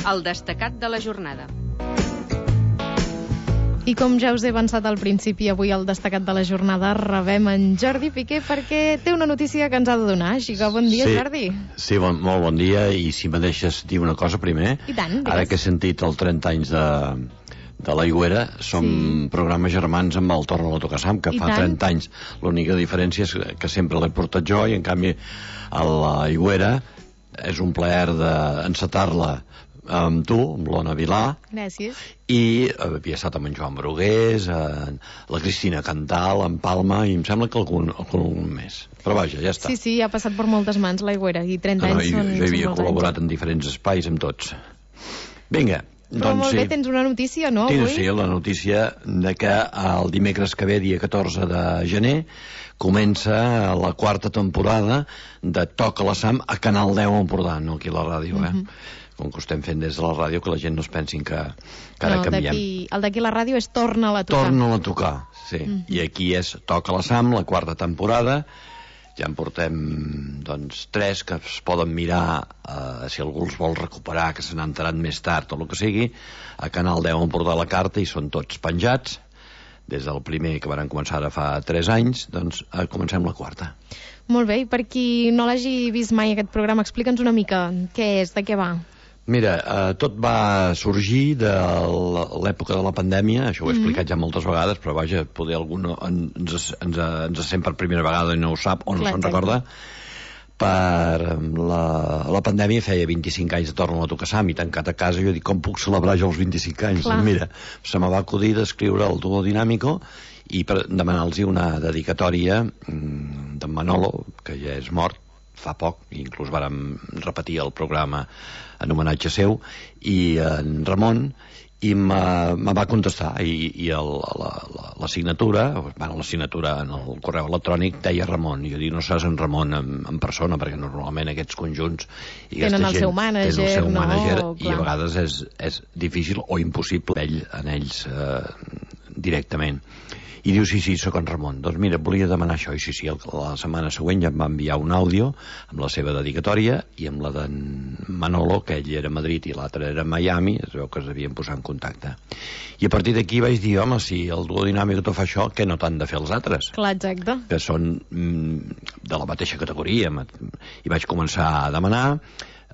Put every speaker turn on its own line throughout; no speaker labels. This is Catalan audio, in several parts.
El destacat de la jornada.
I com ja us he avançat al principi, avui al destacat de la jornada rebem en Jordi Piqué perquè té una notícia que ens ha de donar. Així que bon dia, Jordi.
Sí, molt bon dia, i si me deixes dir una cosa primer.
I tant, digues.
Ara que he sentit el 30 anys de l'Aigüera, som programes germans amb el Torna la Tocassam, que fa 30 anys. L'única diferència és que sempre l'he portat jo, i en canvi a l'Aigüera és un plaer d'encetar-la amb tu, amb l'Ona Vilà.
Gràcies.
I havia estat amb en Joan Brugués, la Cristina Cantal, en Palma, i em sembla que algun més. Però vaja, ja està.
Sí, ha passat per moltes mans l'Aigüera, i 30 anys són molts anys.
Jo havia col·laborat en diferents espais, amb tots. Vinga.
Però molt bé, tens una notícia, no, avui?
Sí, la notícia de que el dimecres que ve, dia 14 de gener, comença la quarta temporada de Toca la Sam a Canal 10 Empordà, no aquí a la ràdio, com que ho estem fent des de la ràdio, que la gent no es pensin que ara canviem.
El d'aquí a la ràdio és Torna-la a tocar.
Torna-la a tocar, sí. I aquí és Toca la Sam, la quarta temporada. Ja en portem, doncs, 3 que es poden mirar, si algú els vol recuperar, que se n'han enterat més tard o el que sigui, a Canal 10 Empordà la carta, i són tots penjats. Des del primer, que van començar ara fa 3 anys, doncs comencem la quarta.
Molt bé, i per qui no l'hagi vist mai aquest programa, explica'ns una mica què és, de què va.
Mira, tot va sorgir de l'època de la pandèmia, això ho he explicat ja moltes vegades, però vaja, poder algú ens sent per primera vegada i no ho sap o no se'n recorda. Per la pandèmia feia 25 anys de Torna la Tocassam, i tancat a casa jo dic, com puc celebrar jo els 25 anys? Doncs mira, se me va acudir d'escriure el Duo Dinàmico i per demanar-los una dedicatòria d'en Manolo, que ja és mort fa poc, inclús vàrem repetir el programa en homenatge seu, i en Ramon, i me va contestar, i la signatura en el correu electrònic deia Ramon, i jo dic, no saps en Ramon en persona, perquè normalment aquests conjunts
tenen el seu mànager,
i a vegades és difícil o impossible en ells directament. I diu, sí, sóc en Ramon. Doncs mira, volia demanar això. I sí, la setmana següent ja em va enviar un àudio amb la seva dedicatòria, i amb la d'en Manolo, que ell era a Madrid i l'altre era a Miami, es veu que es devien posar en contacte. I a partir d'aquí vaig dir, home, si el Duo Dinàmic tot fa això, què no t'han de fer els altres?
Clar, exacte.
Que són de la mateixa categoria. I vaig començar a demanar.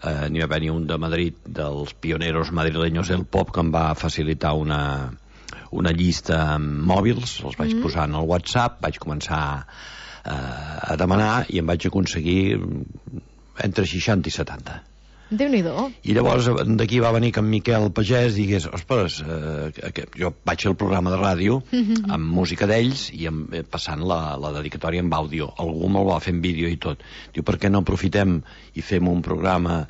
N'hi va haver un de Madrid, dels pioneros madrileños del pop, que em va facilitar una llista amb mòbils, els vaig posar en el WhatsApp, vaig començar a demanar, i em vaig aconseguir entre 60 i 70.
Déu-n'hi-do.
I llavors d'aquí va venir que en Miquel Pagès digués, ostres, jo vaig fer el programa de ràdio amb música d'ells i passant la dedicatòria amb àudio. Algú me'l va fer en vídeo i tot. Diu, per què no aprofitem i fem un programa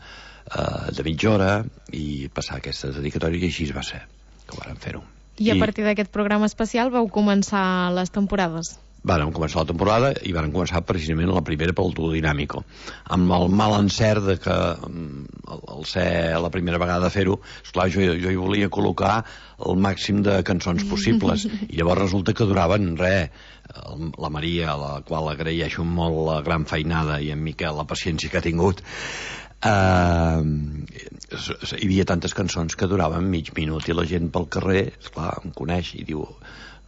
de mitja hora i passar aquestes dedicatòries? I així va ser que vàrem fer-ho.
I a partir d'aquest programa especial vau començar les temporades?
Vàrem començar la temporada i vàrem començar precisament la primera pel Duo Dinàmico, amb el mal encert de que al ser la primera vegada fer-ho, esclar, jo hi volia col·locar el màxim de cançons possibles, i llavors resulta que duraven la Maria, a la qual agraeixo molt la gran feinada, i en Miquel la paciència que ha tingut, hi havia tantes cançons que duraven mig minut, i la gent pel carrer, esclar, em coneix i diu,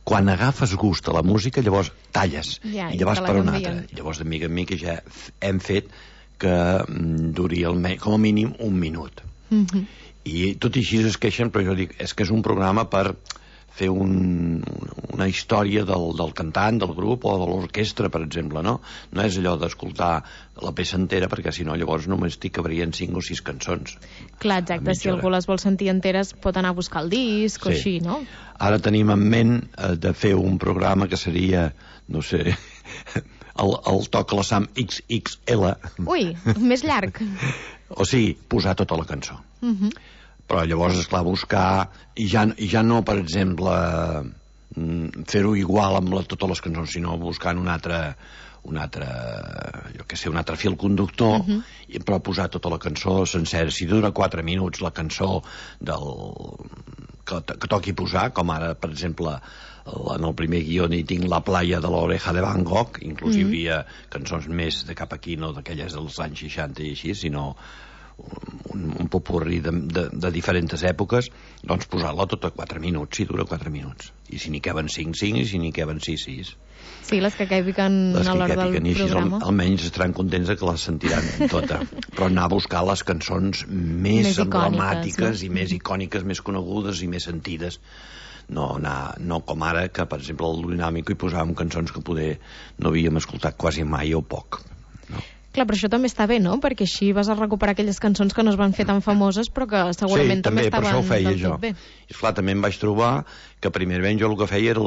quan agafes gust a la música llavors talles i llavors per una altra. Llavors de mica en mica ja hem fet que duri com a mínim un minut. I tot i així es queixen, però jo dic, és que és un programa per fer una història del cantant, del grup o de l'orquestra, per exemple, no? No és allò d'escoltar la peça entera, perquè si no llavors només t'hi cabrien 5 o 6 cançons.
Clar, exacte, si algú les vol sentir enteres pot anar a buscar el disc o així, no?
Ara tenim en ment de fer un programa que seria, no sé, el Toca la Sam XXL.
Ui, més llarg.
O sigui, posar tota la cançó. Però llavors, esclar, buscar, i ja no, per exemple, fer-ho igual amb totes les cançons, sinó buscant un altre fil conductor, però posar tota la cançó sencera. Si dura 4 minuts la cançó que toqui posar, com ara, per exemple, en el primer guió hi tinc La playa de l'oreja de Van Gogh, inclús hi havia cançons més de cap aquí, no d'aquelles dels anys 60 i així, sinó un popurrí de diferents èpoques, doncs posar-la tot a 4 minuts, si dura 4 minuts. I si n'hi caben 5, 5, i si n'hi caben 6, 6.
Sí, les que càpiquen a l'hora del programa.
Almenys estaran contents que les sentiran tota. Però anar a buscar les cançons més emblemàtiques, i més icòniques, més conegudes i més sentides. No com ara, que per exemple al Dinàmico hi posàvem cançons que poder no havíem escoltat quasi mai o poc.
Clar, però això també està bé, no? Perquè així vas a recuperar aquelles cançons que no es van fer tan famoses, però que segurament també estaven del tot bé.
I esclar, també em vaig trobar que primerament jo el que feia era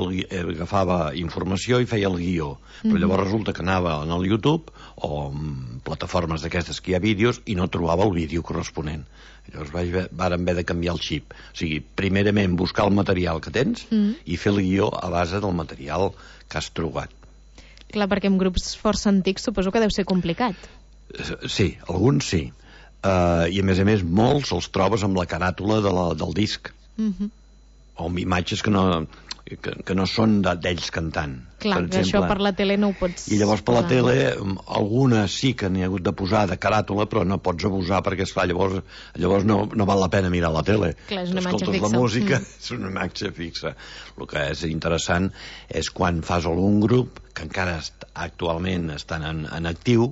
agafava informació i feia el guió, però llavors resulta que anava en el YouTube o en plataformes d'aquestes que hi ha vídeos i no trobava el vídeo corresponent. Llavors vàrem haver de canviar el xip. O sigui, primerament buscar el material que tens i fer el guió a base del material que has trobat.
Clar, perquè amb grups força antics suposo que deu ser complicat.
Sí, alguns sí. I a més, molts els trobes amb la caràtula del disc. O amb imatges que no són d'ells cantant.
Clar, que això per la tele no ho pots...
I llavors per la tele, algunes sí que n'hi ha hagut de posar de caràtula, però no pots abusar, perquè esclar, llavors no val la pena mirar la tele.
Clar, és una imatge fixa.
La música, és una imatge fixa. El que és interessant és quan fas algun grup, que encara actualment estan en actiu,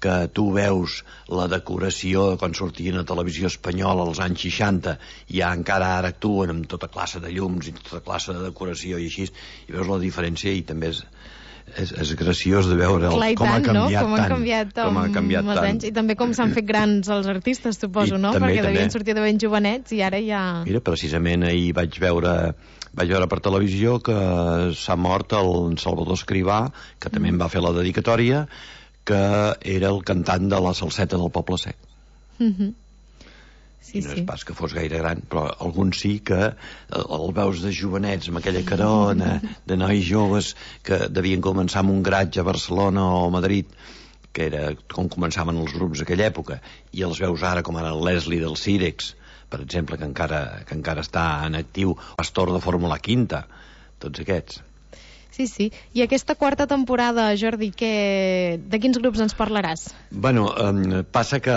que tu veus la decoració quan sortien a televisió espanyola als anys 60 i encara ara actuen amb tota classe de llums i tota classe de decoració i així, i veus la diferència i també és graciós de veure com ha canviat tant.
Com ha canviat tant. Anys. I també com s'han fet grans els artistes, suposo, no? Perquè devien sortir de ben jovenets i ara ja...
Mira, precisament ahir vaig veure per televisió que s'ha mort el Salvador Escrivà, que també em va fer la dedicatòria, que era el cantant de la Salseta del Poble Sec.
Sí,
i no és pas que fos gaire gran, però alguns sí que el veus de jovenets amb aquella carona de nois joves que devien començar amb un garatge a Barcelona o a Madrid, que era com començaven els grups d'aquella època, i els veus ara com ara el Leslie del Cirex, per exemple, que encara està en actiu, Pastor de Fórmula Quinta, tots aquests.
Sí. I aquesta quarta temporada, Jordi, de quins grups ens parlaràs?
Bueno, passa que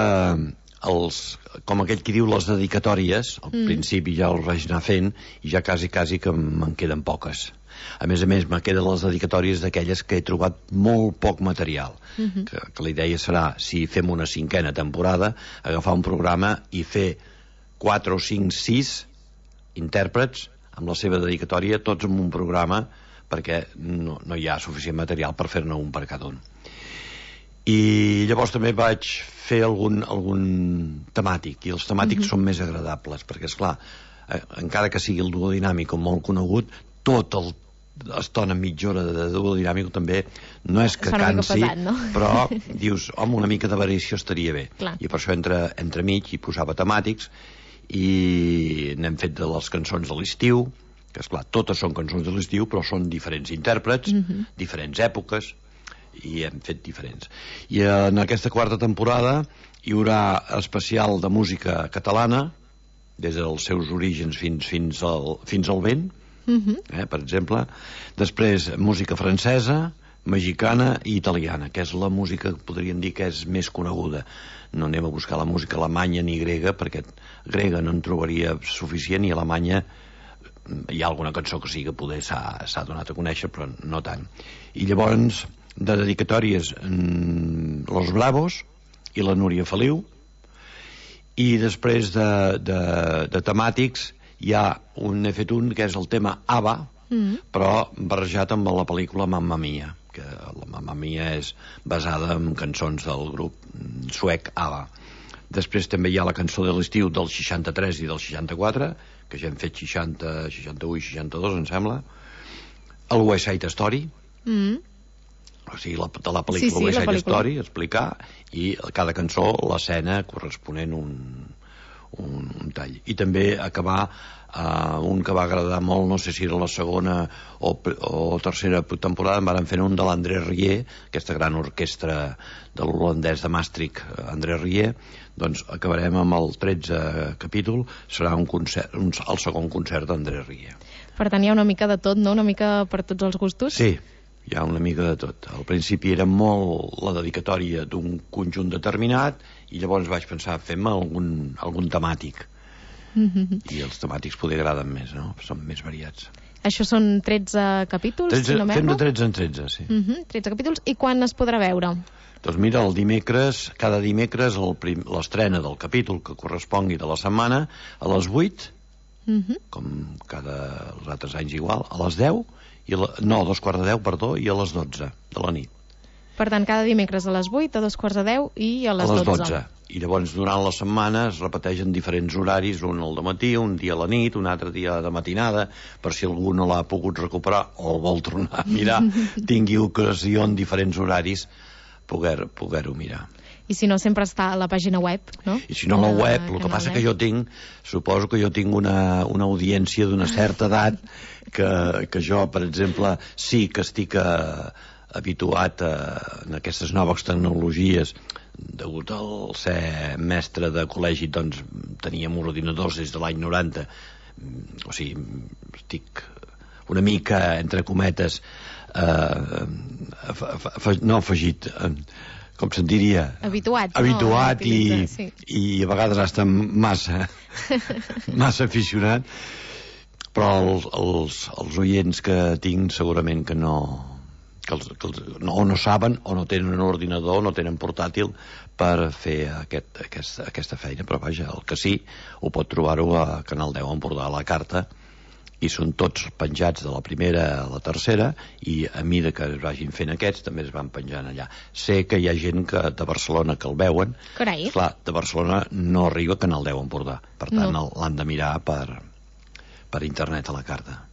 com aquell qui diu les dedicatòries, al principi ja els vaig anar fent i ja quasi que me'n queden poques. A més, me queden les dedicatòries d'aquelles que he trobat molt poc material. Que la idea serà, si fem una 5a temporada, agafar un programa i fer 4 o 5, 6 intèrprets amb la seva dedicatòria, tots en un programa, perquè no hi ha suficient material per fer-ne un per cada un. I llavors també vaig fer algun temàtic, i els temàtics són més agradables, perquè esclar, encara que sigui el duo dinàmic molt conegut, tota l'estona mitja hora de duo dinàmic també no és que cansi,
pesat, no?
però dius, home, una mica de variació estaria bé.
Clar.
I per això entremig hi posava temàtics, i n'hem fet de les cançons de l'estiu, que esclar, totes són cançons de l'estiu, però són diferents intèrprets, diferents èpoques, i hem fet diferents. I en aquesta quarta temporada hi haurà especial de música catalana, des dels seus orígens fins al vent, per exemple. Després, música francesa, mexicana i italiana, que és la música que podríem dir que és més coneguda. No anem a buscar la música alemanya ni grega, perquè grega no en trobaria suficient, i alemanya hi ha alguna cançó que sí que poder s'ha donat a conèixer, però no tant. I llavors, de dedicatòries, Los Bravos i la Núria Feliu, i després de temàtics n'he fet un que és el tema ABBA, però barrejat amb la pel·lícula Mamma Mia, que la Mamma Mia és basada en cançons del grup suec ABBA. Després també hi ha la cançó de l'estiu del 63 i del 64, que ja hem fet 60, 61 i 62, em sembla. El West Side Story, o sigui, de la pel·lícula West Side Story, explicar, i cada cançó, l'escena corresponent un tall. I també acabar un que va agradar molt, no sé si era la segona o tercera temporada, en van fer un de l'André Rieu, aquesta gran orquestra de l'holandès de Maastricht, André Rieu. Doncs acabarem amb el 13è capítol, serà un concert, el segon concert d'André Rieu.
Per tant, hi ha una mica de tot, no? Una mica per tots els gustos?
Sí, Hi ha una mica de tot. Al principi era molt la dedicatòria d'un conjunt determinat i llavors vaig pensar, fem algun temàtic. I els temàtics poder agraden més, no? Són més variats.
Això són 13 capítols, si no
fem
m'erro?
de 13 en 13, sí.
13 capítols. I quan es podrà veure?
Doncs mira, cada dimecres l'estrena del capítol que correspongui de la setmana a les 8, com els altres anys igual, a les 10, no, a 2:15, perdó, i a les 12 de la nit.
Per tant, cada dimecres a les 8, a 2:15 i a les 12.
I llavors durant la setmana es repeteixen diferents horaris, un al dematí, un dia a la nit, un altre dia de matinada, per si algú no l'ha pogut recuperar o el vol tornar a mirar, tingui ocasió en diferents horaris poder-ho mirar.
I si no, sempre està a la pàgina web, no?
I si no, a la web, el que passa que suposo que jo tinc una audiència d'una certa edat que jo, per exemple, sí que estic habituat en aquestes noves tecnologies. Degut al ser mestre de col·legi, doncs teníem ordinadors des de l'any 90. O sigui, estic una mica, entre cometes, no afegit, com se'n diria?
Habituat,
i a vegades hasta massa aficionat, però els oients que tinc segurament que no saben o no tenen un ordinador, no tenen portàtil per fer aquesta feina, però vaja, el que sí ho pot trobar-ho a Canal 10 Empordà a la carta, i són tots penjats de la primera a la tercera, i a mida que es vagin fent aquests també es van penjant allà. Sé que hi ha gent de Barcelona que el veuen.
Carai.
Clar, de Barcelona no arriba a Canal 10 Empordà, per tant l'han de mirar per internet a la carta.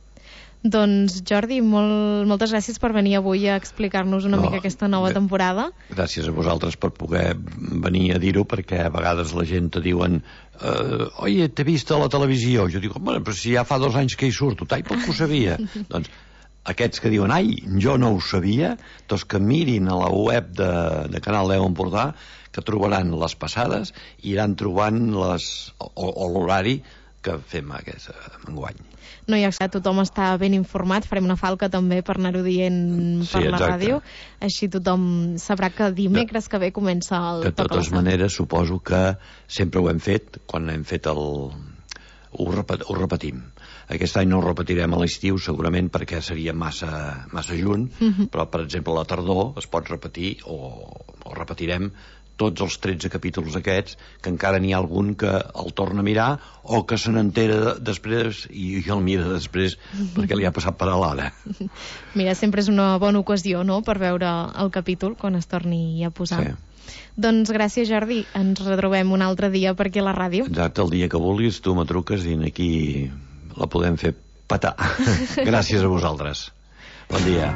Doncs Jordi, moltes gràcies per venir avui a explicar-nos una mica aquesta nova temporada.
Gràcies a vosaltres per poder venir a dir-ho, perquè a vegades la gent te diuen oye, t'he vist a la televisió. Jo dic, bueno, però si ja fa 2 anys que hi surto, per què ho sabia? Doncs aquests que diuen, ai, jo no ho sabia, doncs que mirin a la web de Canal 10 Empordà, que trobaran les passades i iran trobant l'horari que fem aquest enguany.
No hi ha que tothom està ben informat, farem una falca també per anar-ho dient per la ràdio, així tothom sabrà que dimecres que ve comença el
De totes maneres, suposo que sempre ho hem fet, quan hem fet ho repetim. Aquest any no ho repetirem a l'estiu, segurament perquè seria massa junt, però per exemple a la tardor es pot repetir o repetirem tots els 13 capítols aquests, que encara n'hi ha algun que el torna a mirar o que se n'entera després i el mira després perquè li ha passat per a l'ara.
Mira, sempre és una bona ocasió, no?, per veure el capítol quan es torni a posar.
Sí.
Doncs gràcies, Jordi. Ens retrobem un altre dia per aquí a la ràdio.
Exacte, el dia que vulguis, tu me truques i aquí la podem fer petar. Gràcies a vosaltres. Bon dia.